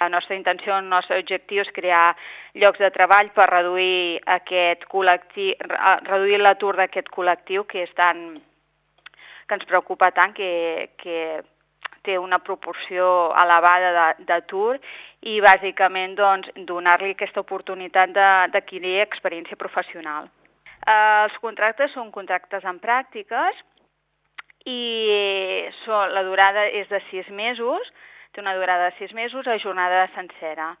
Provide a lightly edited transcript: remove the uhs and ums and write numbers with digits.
la nostra intenció, el nostre objectiu és crear llocs de treball per reduir reduir l'atur d'aquest col·lectiu que ens preocupa tant, que té una proporció elevada d'atur, i bàsicament donar-li aquesta oportunitat d'adquirir experiència professional. Els contractes són contractes en pràctiques i la durada és de 6 mesos, té una durada de 6 mesos a jornada sencera.